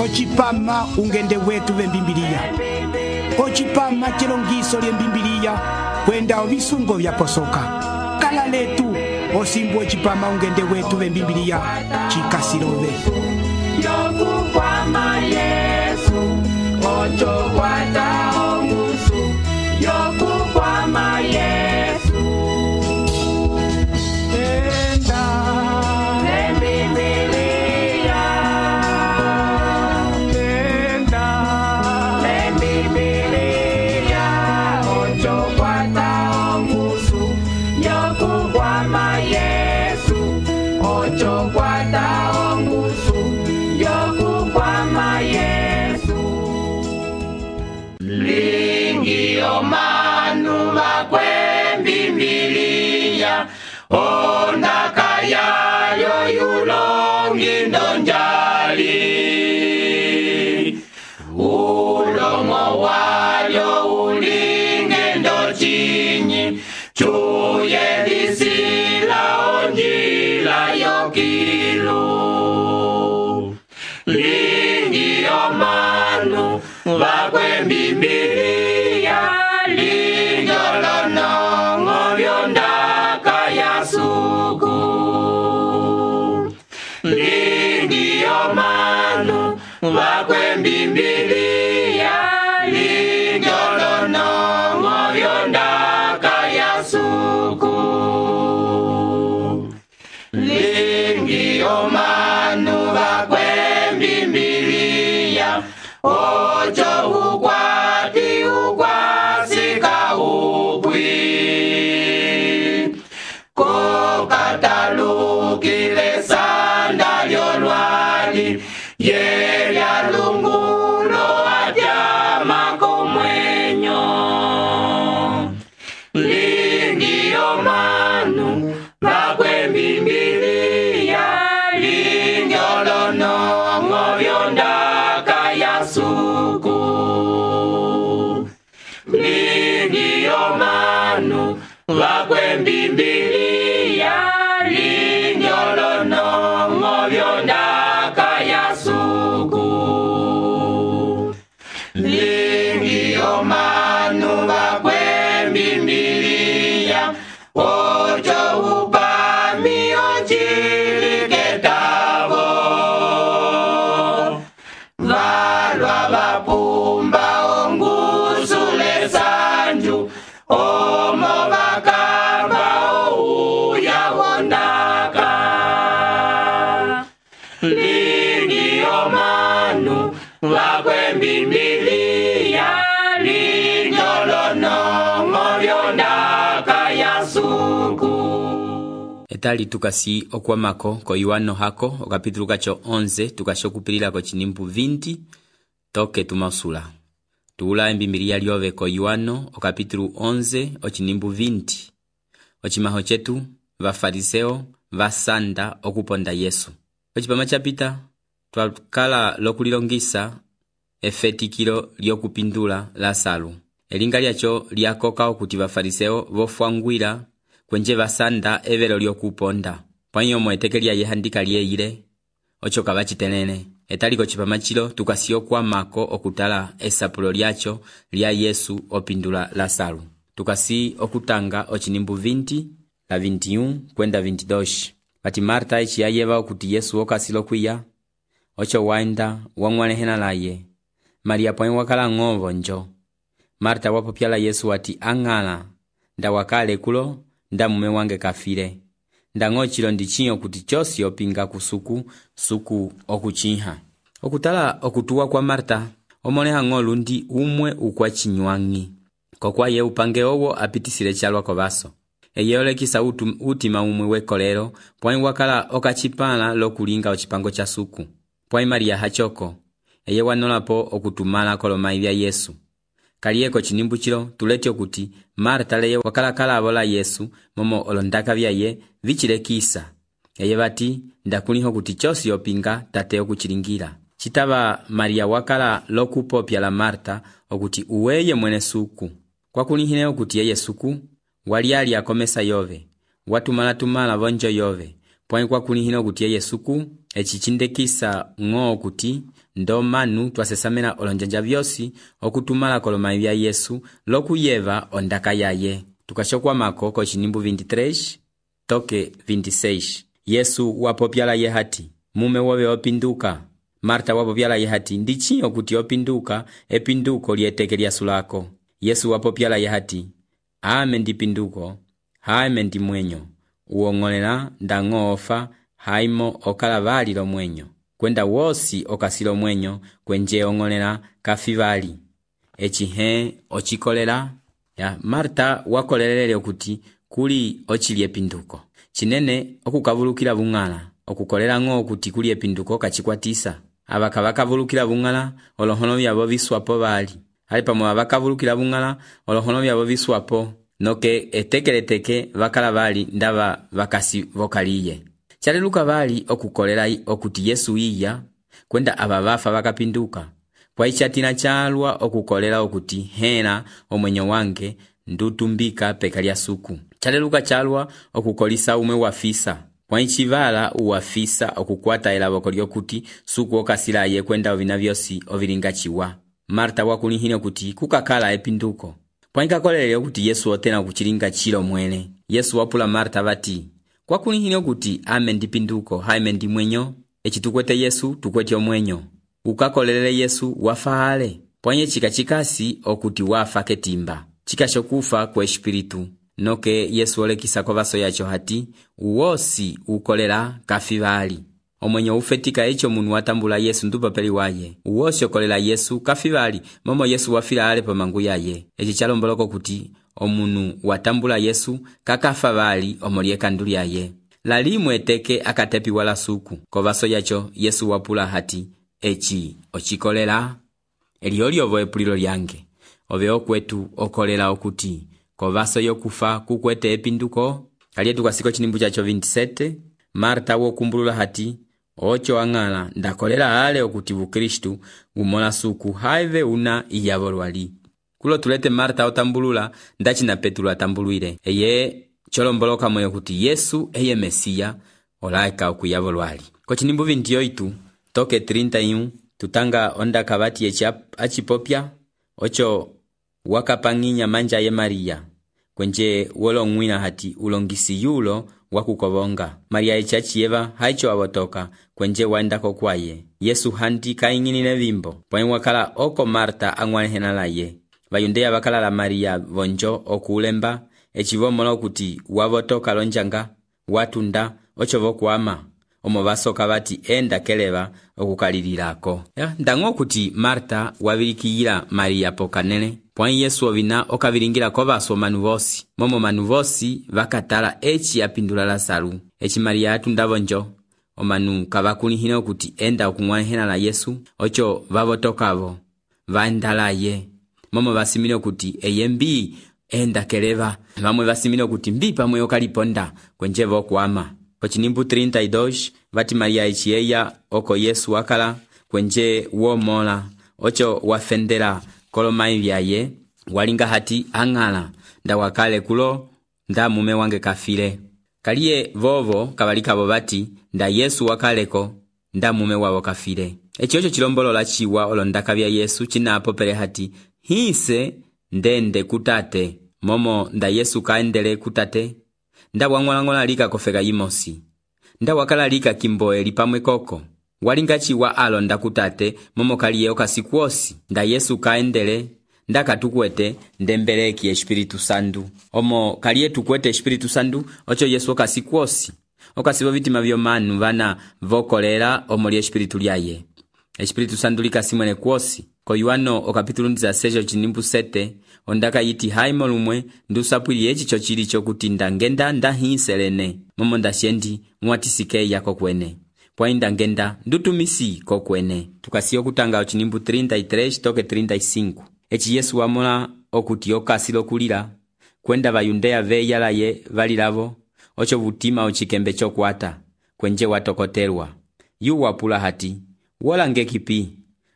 Ocipama ungende wetu vembimbiliya. Ocipama chilongiso lyembimbiliya kwenda ovisungo vyaposoka. Kala letu osimbu ocipama ungende wetu vembimbiliya chikasilove. Yokukwama Yesu, ocho kwata ongusu. Yokukwama Yesu. Enda lembibiliya. Enda lembibiliya. Ocho kwata ongusu. Yokukwama Yesu, ocho kwata ongusu. Yokukwama Yesu. Lingi omanu bakwembimbiliya. Ondaka yayo yulongi ndonjali. Ulomo walyo ulinge ndochinyi. Chuye disila onjila yokilu. Lingi omanu bakwembimbiliya. Linjolonongo byondaka yasuku. Lingi omanu bakwembimbiliya. Linjolonongo byondaka yasuku. Lingi omanu bakwembimbiliya. Ocho ukwati ukwasika upwi. Kokatalukile sanda lyolwali. Yelya lungulo atyama komwenyo. Lingi omanu bakwembimbiliya. Linjolonongo byondaka yasuku. Lingi omanu bakwembimbiliya. Linjolonongo byondaka yasuku. Lingi omanu bakwembimbiliya. Ocho upami ochiliketavo. Valwa vapumba ongusule sanju. Omo bakamba ouya wondaka. Lingi omanu bakwembimbiliya. Linjolonongo byondaka yasuku. Etali tukasi okwamako ko Yohano hako okapitulu kacho 11 tukashokupilila ko chinimbu 20 toke tumausula. Tuula embimbiliya lyove ko Yohano okapitulu 11 ochinimbu 20. Ochimaho chetu vafariseo vasanda okuponda Yesu. Ochipama chapita twakala lokulilongisa efetikilo lyokupindula Lazaro. Elinga lyacho lyakoka okuti vafariseo vofwangwila kwenje vasanda evelo lyokuponda. Pwanyo mweteke lya yehandika lyeile ocho kavachitenene. Etaliko chipama chilo tukasiyo kwa mako okutala esapulo lyacho lya Yesu opindula Lazaro. Tukasi okutanga ochinimbu 20 la 21 kwenda 22. Pati Marta ichi yayeva okuti Yesu okasilo kwiya. Ocho waenda wang'walehena laye. Maria pwanyo wakala ng'ovo njo. Marta wapopyala Yesu wati ang'ala. Nda wakale kulo nda mume wange kafile. Nda ng'ochilo ndichinyo kuti chosi opinga kusuku suku okuchiha. Okutala okutuwa kwa Marta omoneha ng'olu ndi umwe ukwa chinywangi. Kokwa ye upange owo apitisile chalwa kovaso. Eyolekisa utima umwe wekolero pwanyi wakala okachipala lokulinga ochipango cha suku. Pwanyi Maria hachoko eye wanolapo okutumala kolomai bya Yesu. Kaliyeko chinimbu chilo tuleti okuti Marta leye wakala abola Yesu momo olondaka byaye vichilekisa. Eye bati ndakuliho kuti chosi opinga tate okuchilingira. Chitaba Maria wakala lokupopya la Marta okuti uweye mwene suku. Kwa kulihine okuti yeye suku wali akomesa yove. Watumala vonjo yove. Pwanyi kwa kulihine okuti yeye suku echichindekisa ng'o okuti ndo manu twasesamena olonjanja vyosi okutumala kolomayi vya Yesu lokuyeva ondaka yaye. Tukashokwamako kochinimbu 23 toke 26. Yesu wapopyala ye hati, mume wobe opinduka. Marta wapopyala ye hati, ndichi okuti opinduka, epinduko lieteke lyasulako. Yesu wapopyala ye hati, ame ndipinduko, haime ndi mwenyo. Uong'olela ndang'oofa, haimo okala vali lo mwenyo. Kwenda wosi okasilo mwenyo, kwenje ong'olela kafivali. Echihe ochikolela. Ya Marta wakolelele okuti kuli ochili epinduko. Chinene okukavulukila bung'ala, okukolela ng'o okuti kuli epinduko kachikwatisa. Abaka bakavulukila bung'ala, olohono byabo biswapo bali. Ali pamwe abakavulukila bung'ala, olohono byabo biswapo. Noke etekeleteke bakala bali ndaba bakasi vokaliye. Chaleluka bali okukolela okuti Yesu iya, kwenda ababafa bakapinduka. Pwaichatina chalwa okukolela okuti hena omwenyo wange ndutumbika peka lya suku. Chaleluka chalwa okukolisa umwe wafisa. Pwaichivala uwafisa okukwata elaboko lyokuti suku okasilaye kwenda ovina vyosi ovilingachiwa. Marta wakulihine okuti kukakala epinduko. Pwaikakolele okuti Yesu otena kuchilinga chilo mwene. Yesu wapula Marta bati, kwakulihine okuti ame ndipinduko, haime ndi mwenyo. Echitukwete Yesu tukwete omwenyo. Ukakolelele Yesu wafaale. Pwanye chikachikasi okuti wafa ketimba. Chikashokufa kwa espiritu. Noke Yesu olekisa kwa vaso yacho hati, uwosi ukolela kafivali. Omwenyo ufetika echo munu watambula Yesu ndupapeli waye. Uwosi okolela Yesu kafivali, momo Yesu wafila ale pa mangu yaye. Echi chalomboloko kuti, omunu watambula Yesu kakafavali omolie kanduli yaye. Lalimwe teke akatepi wala suku. Kwa vaso yacho Yesu wapula hati, echi ochikolela. Elioli ovo epulilo lyange. Ove okwetu okolela okuti, kwa vaso yokufa kukwete epinduko. Kalietu kwa siko chinimbu chacho 27. Marta wokumbulula hati, ocho angala ndakolela ale okuti Kristu umola suku haive una iyavolwali. Kulo tulete Marta otambulula ndachi na Petro atambuluire. Eye cholomboloka moyo kuti Yesu eye Mesia olaika okuyavolwali. Kochinimbu 28 toke 31 tutanga onda kabati echi achipopya ocho wakapanginya manja ye Maria. Kwenje wolongwina hati ulongisi yulo wakukobonga. Maria echachieva haicho wabotoka kwenje waendako kwaye. Yesu handi kainginile vimbo. Pwani wakala oko Marta angwalehena laye. Vayundeya wakala la Maria vonjo okulemba. Echivomola okuti wabotoka lonjanga watunda ocho vokuama. Omo basoka bati enda keleba okukalililako. Ndango okuti Marta wabilikiyila Maria pokanele. Pwani Yesu ovina okavilingira kwa baso manuvosi. Momo manuvosi vakatala echi apindula Lasaru. Echi Maria atunda vonjo. Omanu kabakulihine okuti enda okungwalehena la Yesu. Ocho vabotokavo. Vaendala ye. Momo basimine okuti eyembi enda keleba. Vamwe basimine okuti mbi pamwe okaliponda kwenje vokuama. Kochinimbu 32 vati Maria echieya oko Yesu wakala kwenje womola. Ocho wafendela kolomayi vyaye walinga hati angala nda wakale kulo nda mume wange kafile. Kaliye vovo kabalikabo bati nda Yesu wakaleko nda mume wabo kafile. Echocho chilombolola chiwa olondaka vya Yesu chinapo pele hati hise ndende kutate. Momo nda Yesu kaendele kutate. Nda wangwalangola lika kofega yimosi. Nda wakala lika kimboe lipamwe koko. Walinga chiwa alonda kutate momo kaliye okasikuosi. Nda Yesu kaendele nda katukwete ndembeleki Espiritu Sandu. Omo kaliye tukwete Espiritu Sandu ocho Yesu okasikuosi. Okasibo vitima vyo manu vana vokolera omoli Espiritu lyaye. Espiritu Sandu lika simwene kuosi. Ko Yohano okapitulu 16 chinimbu 7 ondaka yiti haimo lumwe ndusapwili echi chochili chokutinda ngenda ndahinselene. Momo ndashendi mwatisike yako kwene. Pwainda ngenda ndutumisi kokwene. Tukasiyo kutanga ochinimbu 33 toke 35. Echi Yesu wamola okuti okasilo kulila. Kwenda vayundeya veyala ye valilavo. Ocho vutima ochikembe chokwata. Kwenje watokotelwa. Yu wapula hati. Wola ngekipi.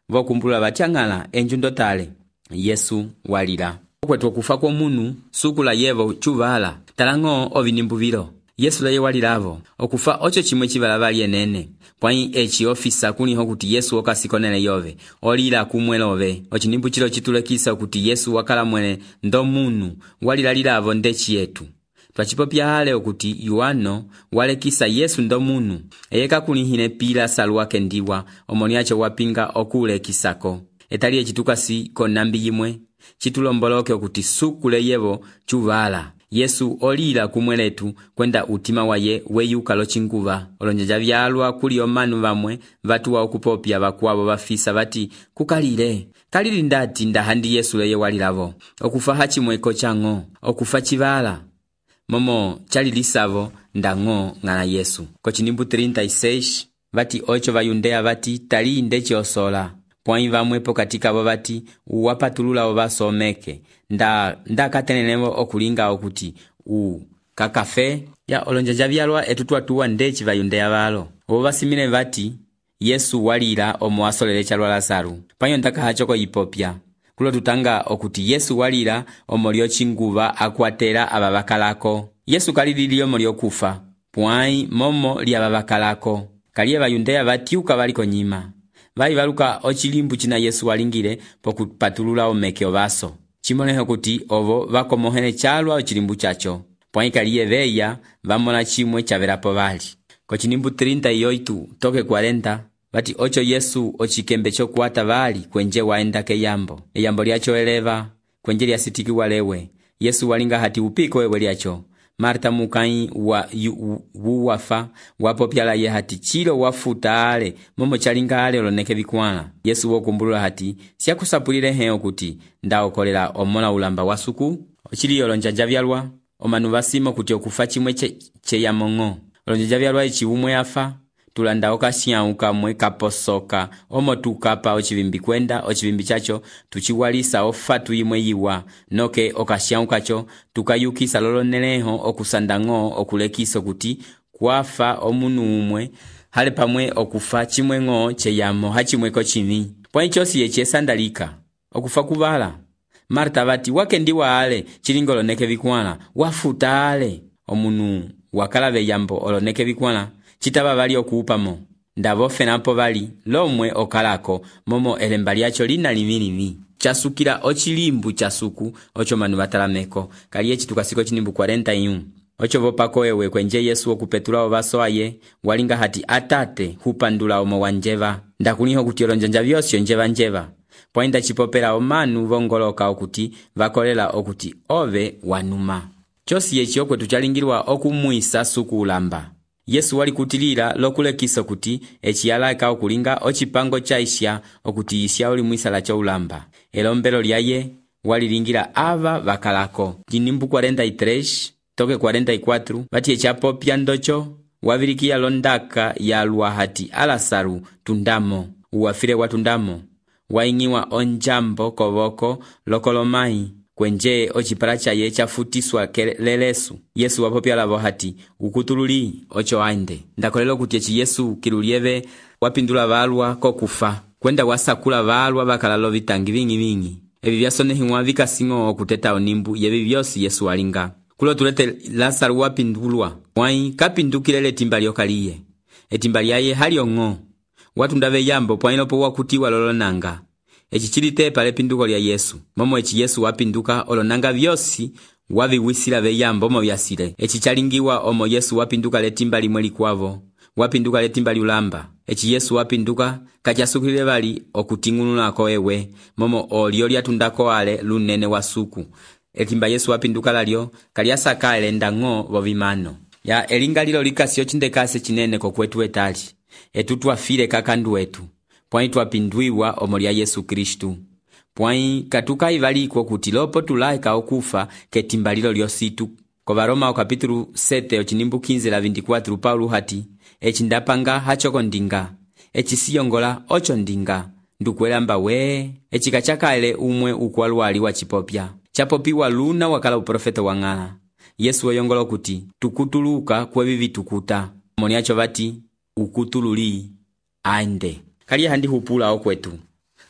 Vokumbula bachangala enjundo tale. Yesu walila. Okwetu okufa kwa munu sukula yevo chuvala. Talango ovinimbu vilo. Yesu laye walilavo okufa ocho chimwe chivalava lienene pwai eci ofisa kuliho kuti Yesu okasikonele yove olila kumwelove ochinimbu chilo chitulekisa kuti Yesu wakala mwene ndo munu walilalilavo ndechi yetu. Twachipopya ale okuti Yohano walekisa Yesu ndo munu eyeka kulihine pila salwa kendiwa omoniacho wapinga okulekisako. Etali echitukasi konambi yimwe chitulomboloke okuti sukule yevo chuvala Yesu olila kumweletu kwenda utima waye weyuka lochinguva. Olonjeja vyalwa kuli omanu vamwe vatuwa okupopya vakwavo vafisa vati kukalile kalili ndati ndahandi Yesu leye walilavo okufa hachimweko chango okufa chivala momo chalilisavo ndango ngana Yesu. Kochinimbu 36 vati ocho vayundea vati tali ndechi osola pwai vamwepo katika vo vati uwapatulula ovasomeke nda katenenevo okulinga okuti kakafe ya olonjeja vyalwa etutwatuwa ndechi vayundea valo ovo vasimile vati Yesu walila omo asolele chalwa Lazaru panyo ndaka hachoko yipopya kulo tutanga okuti Yesu walila omo lyochinguva akwatela ababakalako. Yesu kalilili omo lyokufa pwai momo lyababakalako kaliye vayundea vatiuka valiko nyima vai valuka ochilimbu china Yesu walingile pokupatulula omeke ovaso chimoneho kuti ovo vakomohene chalwa ochilimbu chacho pwai kaliye veya vamona chimwe chavelapo vali. Kochinimbu 38 toke 40 vati ocho Yesu ochikembe chokuata vali kwenje waenda keyambo eyambo lyacho eleva kwenje lyasitikiwa lewe Yesu walinga hati upiko wewe lyacho. Marta mukai wafa wapopyala ye hati chilo wafuta ale momo chalinga ale oloneke vikwana. Yesu wokumbulula hati siakusapulile heo kuti ndaokolela omona ulamba wasuku ochili olonjanja vyalwa omanu vasimo kuti okufa chimwe cheyamongo olonjanja vyalwa echiumwe afa tulanda okashiauka mwe kaposoka omo tukapa ochivimbi kwenda ochivimbi chacho tuchiwalisa ofatu imwe yiwa noke okashiaukacho tukayukisa loloneleho okusandango okulekiso kuti kwafa omunu umwe hale pamwe okufa chimwe ngo cheyamo hachimweko chini pwai chosi yechesandalika okufa kuvala. Marta vati wakendiwa ale chilingo oloneke vikwana wafuta ale omunu wakalave yambo oloneke vikwana chitaba vali okuupamo ndavofe napo vali lomwe okalako momo elemba lyacho lina limilimi chasukila ochilimbu chasuku ocho manu vatalameko kaliye chitukasiko chinimbu 41 ocho vopako ewe kwenje Yesu okupetula ovaso aye walinga hati atate hupandula omo wanjeva ndakuliho kuti olonjanja vyosyo njeva poinda chipopela omanu vongoloka okuti vakolela okuti ove wanuma chosi yechi okwetu chalingilwa okumwisa suku ulamba. Yesu wali kutilila lokulekiso kuti echiyalaka okulinga ochipango chaisha okuti isya oli mwisala cha ulamba elombelo lyaye walilingira ava vakalako. Jinimbu 43 toke 44 vati echapopya ndocho wavilikia londaka yalwa hati Alasaru tundamo uwafile watundamo waingiwa onjambo kovoko lokolomai kwenje ochipala chaye chafutiswa lelesu. Yesu wapopya lavo hati ukutululi ocho ainde ndakolelo kuti echi Yesu kilulieve wapindula valwa kokufa kwenda wasakula valwa bakalalo vitangi vingi evi vyasonehimwa vikasingo okuteta onimbu yevi vyosi Yesu walinga kulo tulete Lazaru wapindulwa mwai kapindukilele timba lyokaliye etimba lyaye haliongo watundave yambo pwailopo wakutiwa lolonanga echi chilite pale pinduko lya Yesu momo echi Yesu wapinduka olonanga vyosi waviwisila veyambo mo vyasile echi chalingiwa omo Yesu wapinduka letimba limwe likwavo wapinduka letimba liulamba echi Yesu wapinduka kachasukilile vali okutingulunako ewe momo olio lyatundako ale lunene wasuku etimba Yesu wapinduka lalyo kaliasaka elendango vovimano ya elinga lilo likasio chindekase chinene kokwetu etali etutwafile kakandu wetu pwai twapindwiwa omo lya Yesu Kristu pwai katuka ivaliko kuti lopo tulaika okufa ketimba lilo lyositu. Kovaroma okapitulu 7 ochinimbu 15:24 Paulo hati echindapanga hachoko ndinga echisiyongola ocho ndinga ndukwelamba we echikachakaele umwe ukwalwali wa chipopya chapopiwa luna wakala uprofeta wang'ala. Yesu oyongola kuti tukutuluka kwevivi tukuta moniacho vati ukutululi ainde kaliye handi hupula okwetu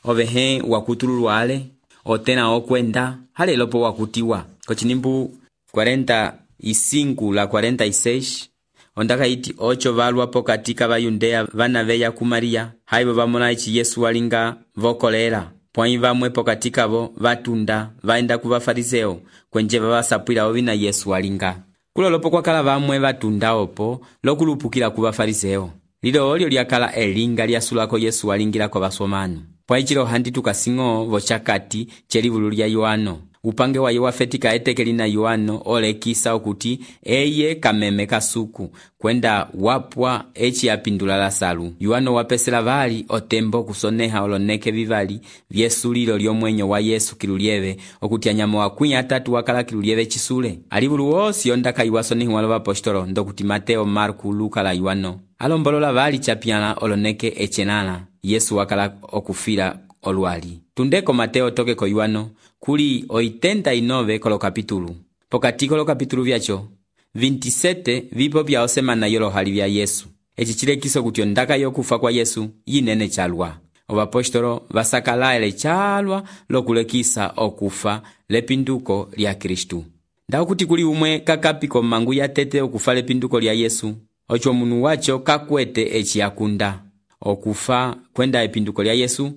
ovehe wakutululwale otena okwenda hale lopo wakutiwa. Kochinimbu 41 5:46 ondaka iti ocho valwa pokati ka Bayundeya vana veya ku Maria, haibo vamona ichi Yesu walinga vokolela. Pwai vamwe pokati kavo vatunda vaenda ku Bafariseo kwenje vavasapwila ovina Yesu walinga. Kulolopo kwakala vamwe vatunda opo lokulupukila ku Bafariseo. Lilo olyo lyakala elinga lyasulako Yesu walingila kwa basomanu. Pwai chilo handi tukasingo vochakati chelivulu lya Yohano. Upange wa wafetika etekeli na Yohano olekisa okuti eye kameme kasuku kwenda wapwa echi yapindula Lasalu. Yohano wapesela vali otembo kusoneha oloneke vivali vyesulilo lyomwenyo wa Yesu kilulieve okuti anyamo wakwinya atatu wakala kilulieve chisule. Alivulu wosi ondaka iwasonehi walo apostolo ndokuti Mateo, Marku, Luka la Yohano. Alombolola vali chapiana oloneke echenana Yesu wakala okufila olwali. Tundeko Mateo toke ko Yohano kuli 89 kolo kapitulu. Pokati kolo kapitulu vyacho 27 vipo vya osemana yolo hali vya Yesu. Echi chilekiso kuti ondaka yokufa kwa Yesu yinene chalwa. Obapostolo vasakala ele chalwa lokulekisa okufa lepinduko lya Kristu. Ndao kuti kuli umwe kakapiko mangu ya tete okufa lepinduko lya Yesu. Ocho munu wacho kakwete echi yakunda. Okufa kwenda epinduko lya Yesu.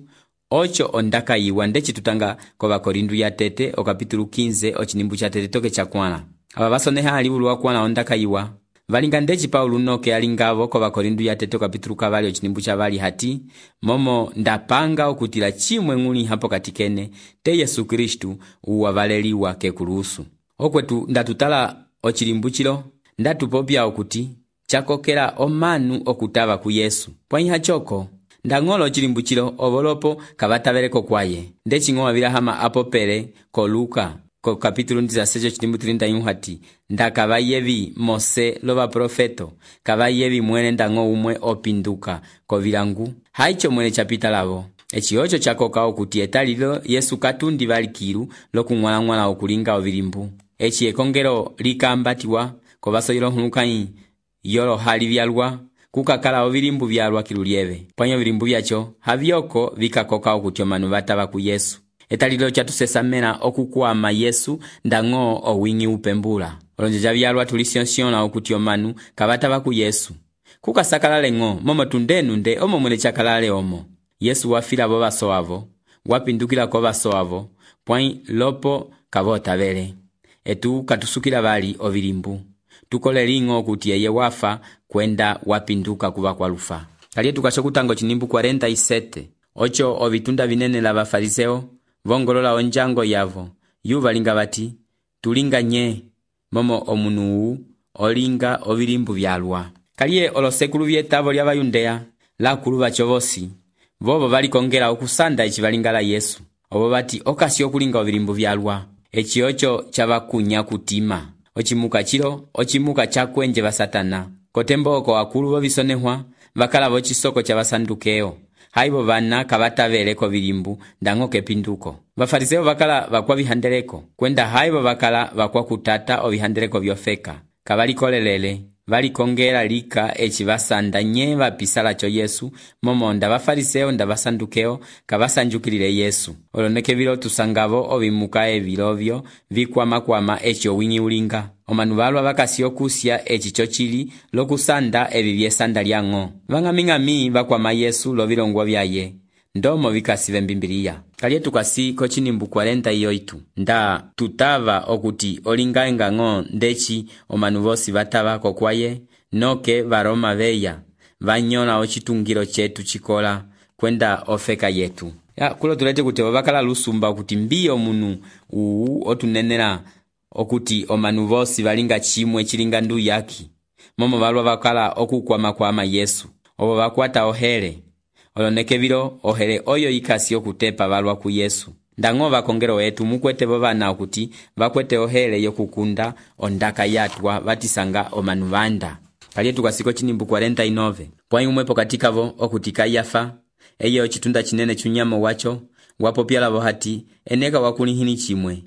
Ocho ondaka yiwa ndechi tutanga kwa Bakorindu ya tete o kapitulu 15 ochinimbu cha tete toke chakwana. Aba basoneha alivulu wakwana ondaka yiwa. Valinga ndechi Paulu noke alingavo kwa Bakorindu ya tete o kapitulu kavali ochinimbu cha vali hati. Momo ndapanga okutila chimwe nguni hapo katikene te Yesu Kristu uwavaleliwa kekulusu. Okwetu ndatutala ochilimbu chilo ndatupopya okuti chakokela omanu okutava ku Yesu. Pwaiha choko ndang'olo chilimbu chilo ovolopo kavataveleko kwaye. Ndechingo wavila hama apopele ko Luka ko kapitulu 16 chilimbu 31 hati ndakavayevi Mose lova profeto kavayevi mwene ndang'o umwe opinduka ko vilangu haicho mwene chapita lavo. Echi ocho chakoka okuti etalilo Yesu katundi valikilu lokung'wala okulinga ovilimbu. Echi ekongelo likambatiwa ko basoyilo hulukai yolo hali vyalwa kukakala ovilimbu vyalwa kilulieve. Pwanyo vilimbu vyacho havyoko vikakoka okuti omanu vatava ku Yesu. Etalilo chatusesamena okukwama Yesu ndang'o owingi upembula. Olonjeja vyalwa tulisionsiona okuti omanu kavatava ku Yesu. Kukasakalale ng'o momo tundenu nde omo mwene chakalale omo. Yesu wafila bo basoavo, wapindukila ko basoavo, pwai lopo kavotavele. Etu katusukila vali ovilimbu. Tukole lingo kuti eye wafa kwenda wapinduka kuva kwa lufa. Kalie tukasho kutango chinimbu 47. Ocho ovitunda vinene la Bafariseo vongolola onjango yavo. Yuva linga vati tulinga nye momo omunu olinga ovilimbu vyalwa. Kalie olosekulu vyetavo lya Bayundeya la kuluva chovosi vovo valikongela okusanda echi valingala Yesu. Ovo vati okasi okulinga ovilimbu vyalwa. Echi ocho chavakunya kutima. Ochimuka chilo, ochimuka chakwenje va Satana. Kotemboko wakulu vovisonehwa, vakala vochisoko cha vasandukeo. Haibo vana kavataveleko vilimbu, ndango kepinduko. Bafariseo vakala vakwa vihandeleko. Kwenda haibo vakala vakwa kutata o vihandeleko vyofeka. Kavalikolelele, valikongela lika echi vasanda nye vapisala cho Yesu, momo nda Bafariseo nda vasandukeo, kavasanjukilile Yesu. Oloneke vilo tusangavo ovimuka evilovyo, vikwama echi owingi ulinga. Omanu valwa vakasio kusya echi chochili lokusanda evi vyesanda lyang'o. Vang'aming'ami vakwama Yesu lovilongwa vyaye. Ndomo vikasive mbimbiliya. Kalie tukasi kochinimbu 48. Nda tutava okuti olinga ng'o ndechi omanu vosi vatava kokwaye, noke varoma veya. Vanyola ochitungiro chetu chikola kwenda ofeka yetu. Ya kulo tulete kuti vakala lusumba okuti mbiyo munu otunenera okuti omanu vosi valinga chimwe chilinga ndu yaki. Momo valwa vakala okukwama Yesu. Ovo vakwata ohere. Oloneke vilo ohere oyo ikasi okutepa valwa ku Yesu. Ndang'o vakongero wetu mukwete vovana okuti vakwete ohere yokukunda ondaka yatwa vatisanga omanu vanda. Kalie tukasiko chinimbu 49. Pwai umwe pokatika vo okuti Kayafa eyo chitunda chinene chunyamo wacho wapopyala vo hati eneka wakulihini chimwe.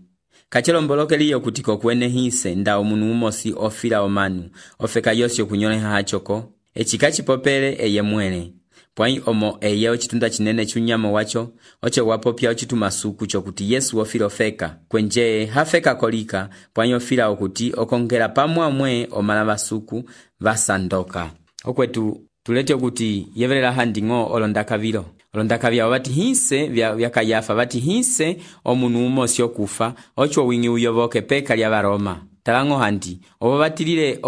Kachelomboloke liyo kutiko kwene hise nda omunu umosi ofila omanu ofeka yosi okunyoleha hachoko echikachi popele eye mwene. pwai omo eye ocitunda cinene c'unyamo waco oco wapopya ocitumasuku cokuti Yesu ofila ofeka kwenje hafeka kolika pwai ofila okuti okongela pamwamwe omala basuku basandoka. Okwetu tulete okuti yevelela handing'o olondakavilo olondakavya wabati hinse vya Kayafa bati hinse omunu umosi okufa ocho wingi uyoboke peka lya Baroma talang'o handi obo batilile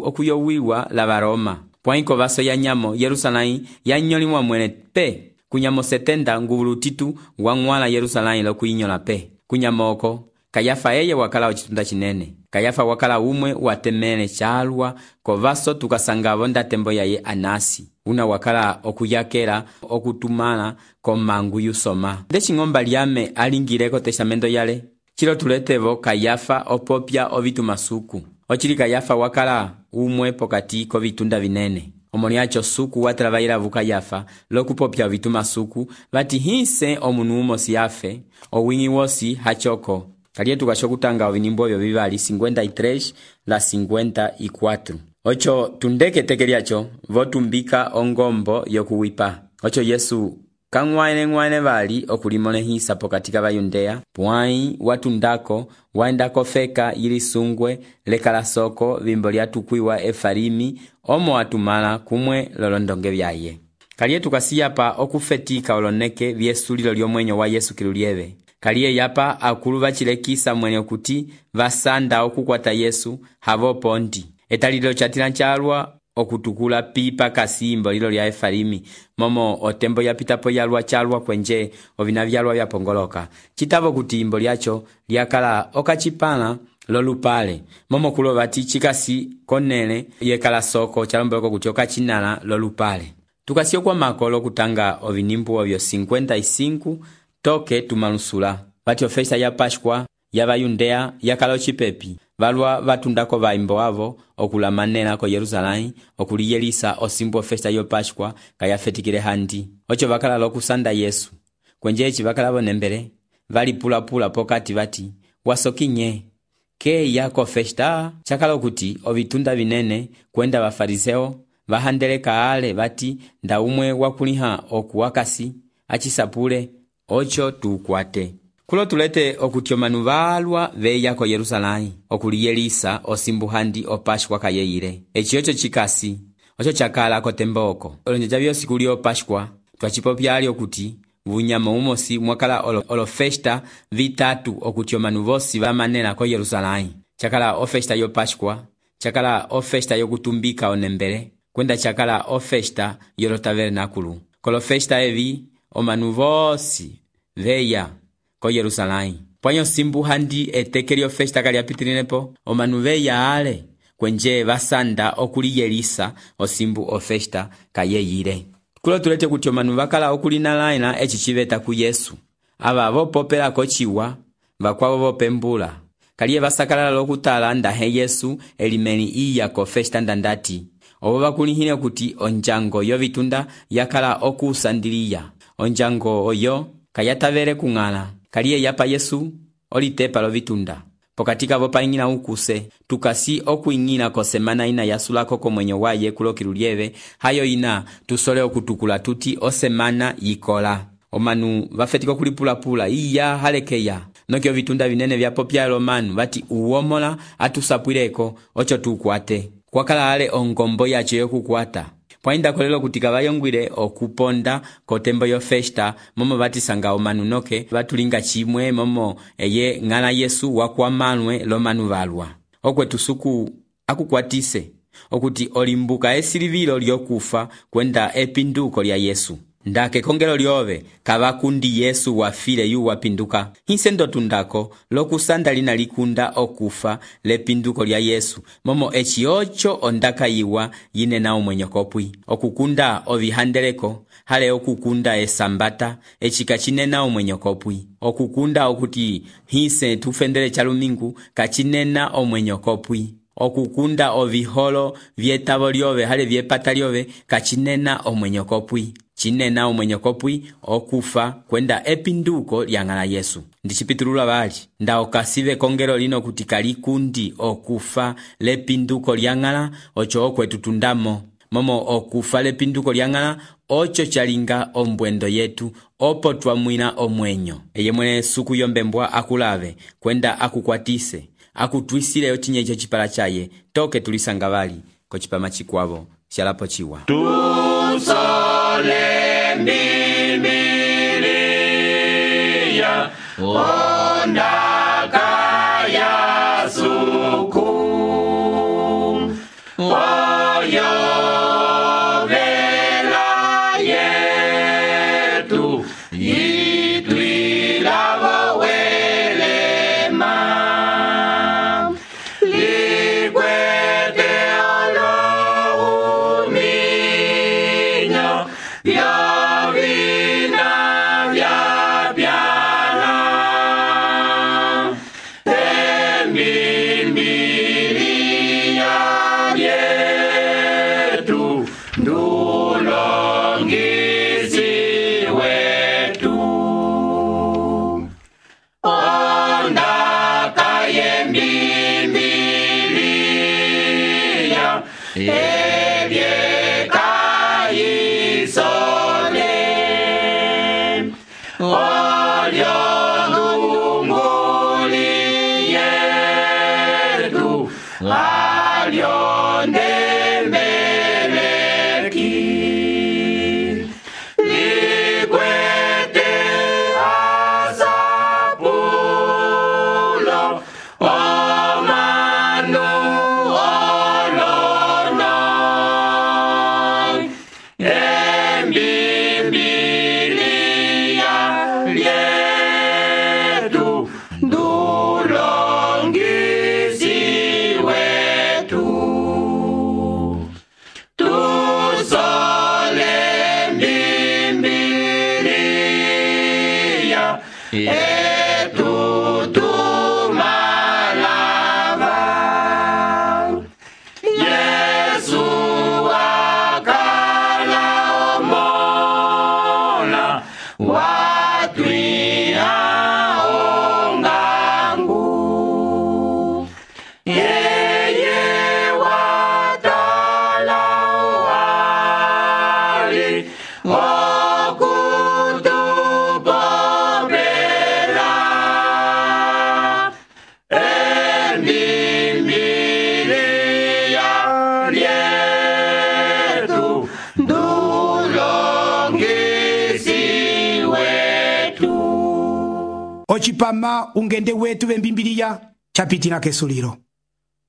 okuyowiwa la Baroma pwaiko baso ya nyamo Yerusalai yanyolimwa mwene pe kunyamo 70 nguvulu titu wang'wala Yerusalai lokuinyola pe kunyamo oko Kayafa eye wakala ocitunda cinene. Kayafa wakala umwe watemele chalwa kovaso tukasanga bonda tembo yaye Anasi una wakala okuyakela okutumala komangu yusoma ndechi ng'omba lyame alingileko testamento yale chilo tuletevo Kayafa opopya ovitumasuku ochili Kayafa wakala umwe pokati kovitunda vinene omoni acho suku watravaila vu Kayafa lokupopya ovitumasuku bati hinse omunu umosi afe owingi wosi hachoko kalietu kashokutanga ovinimbo vyo vivali 53 la 54 ocho tundeke tekeliacho votumbika ongombo yokuwipa ocho Yesu kang'waene bali okulimonehisa pokatika bayundea pwai watundako waendako feka ili sungwe lekala soko vimbo lyatukwiwa Efalimi omo watumala kumwe lolondonge vyaye kalietu kasiyapa okufetika oloneke vyesulilo lyomwenyo wa Yesu kilulieve kaliye yapa akulu bachilekisa mwene okuti basanda okukwata Yesu havo pondi etalilo chatila nchalwa okutukula pipa kasimbo lilo lya Efalimi momo otembo yapitapo yalwa chalwa kwenje ovina vyalwa vyapongoloka chitavo kuti imbo lyacho lyakala okachipala lolupale momo kulo bati chikasi konele yekala soko chalomboloko kuti okachinala lolupale tukasio kwa makolo kutanga ovinimbu ovyo 55 toke tumalusula bati ofesta ya Pashkwa ya bayundea yakala ocipepi valwa vatundako vaimbo avo okulamanela ko Yerusalai okuliyelisa osimbu ofesta yo Pashkwa kayafetikile handi ocho vakala lokusanda Yesu kwenjechi vakala vonembele valipulapula pokati vati wasokinye ke yako festa chakala okuti ovitunda vinene kwenda bafariseo vahandeleka ale vati nda umwe wakuliha okuwakasi achisapule ocho tukwate kulo tulete okuti omanu valwa veya ko Yerusalai okuliyelisa osimbu handi opashkwa kayeile echi ocho chikasi ocho chakala kotemboko olonjeja vyosi kuli opashkwa twachipopyali okuti vunyama umosi mwakala olofesta vitatu okuti omanu vosi vamanela ko Yerusalai chakala ofesta yo Pashkwa chakala ofesta yokutumbika onembele kwenda chakala ofesta yolo tabernakulu kolofesta evi omanu vosi veya ko Yerusalai pwanyo simbu handi etekeli ofesta kaliapitilinepo omanu veya ale kwenje basanda okuliyelisa osimbu ofesta kayeyile kulo tulete kuti omanu vakala okulinalaina echi chiveta ku Yesu ava vopopela kochiwa vakwavo vopembula kaliye vasakalala lokutala ndahe Yesu elimeni iya ko festa ndandati obo bakulihine kuti onjango yovitunda yakala okusandiliya onjango oyo kayatavele kung'ala kaliye yapa Yesu olitepa lovitunda pokatika vopaingina ukuse tukasi okuingina ko semana ina yasulako komwenyo waye kulokilulieve hayo ina tusole okutukula tuti osemana yikola omanu vafetiko kulipulapula iya halekeya nokyo vitunda vinene vyapopya lomanu vati uomola atusapwileko ocho tukwate kwakala ale ongombo yacho yokukwata pwainda kolelo kutika vayongwile okuponda kotembo yo festa momo batisanga omanu noke batulinga chimwe momo eye ng'ala Yesu wakwamanwe lomanu valwa okwetu suku akukwatise okuti olimbuka esilivilo lyokufa kwenda epinduko lya Yesu ndake kongelo lyove kavakundi Yesu wafile yu wapinduka hinse ndotundako lokusanda lina likunda okufa lepinduko lya Yesu momo echi ocho ondaka yiwa yinena omwenyokopwi okukunda ovihandeleko hale okukunda esambata echika chinena omwenyokopwi okukunda okuti hinse tufendele chalumingu kachinena omwenyokopwi okukunda oviholo vyetavo lyove hale vyepata lyove kachinena omwenyokopwi chinena omwenyokopwi okufa kwenda epinduko lyang'ala Yesu ndichipitulula bali nda okasive kongelo lino kuti kalikundi okufa lepinduko lyang'ala ocho okwetu tundamo momo okufa lepinduko lyang'ala ocho chalinga ombwendo yetu opo twamwina omwenyo. Eye mwene suku yombembwa akulave kwenda akukwatise akutwisile ochinyecho chipala chaye toke tulisanga bali ko chipama chikwavo xalapo chiwa. Tusole Biblia ondaka ya suku oyo vela yetu itwila welema likwete olo uminyo vya vina vya pyana Biblia yetu ndulongisi wetu ondaka ye Biblia ebyekayisole olyo ndunguli yetu alyo ndembeleki likwete asapulo omanu olono Biblia lyetu ndulongisi wetu tusole Biblia yetu tumalava Yesu akala omola watwiha ongangu yeye watala wali okutupopela Biblia lyetu ndulongisi wetu. Ochipama ungende wetu bembimbiriya chapitila kesulilo.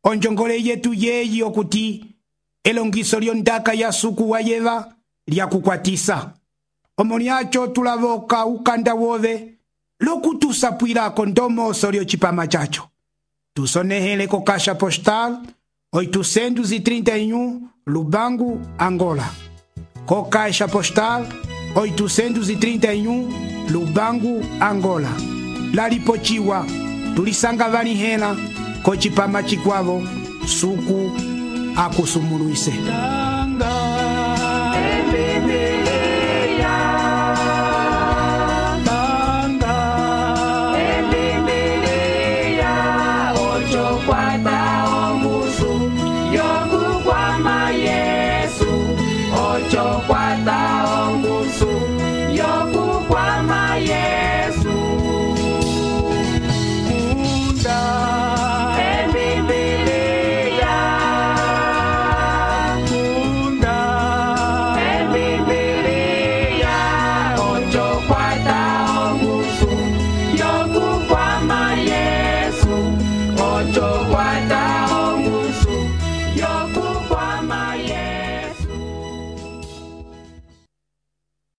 Onjongole yetu yeyi okuti elongiso lyondaka ya suku wa yeva lyakukwatisa. Omoniacho tulavoka ukanda wove lokutusapwilako ndomoso lyochipama chacho. Tusonehele ko Caixa Postal 831 Lubangu, Angola. Co Caixa Postal 831 Lubangu, Angola. Lalipochiwa tulisanga vanihela ko chipama chikwavo suku akusumuluise. Ocho, cuatro.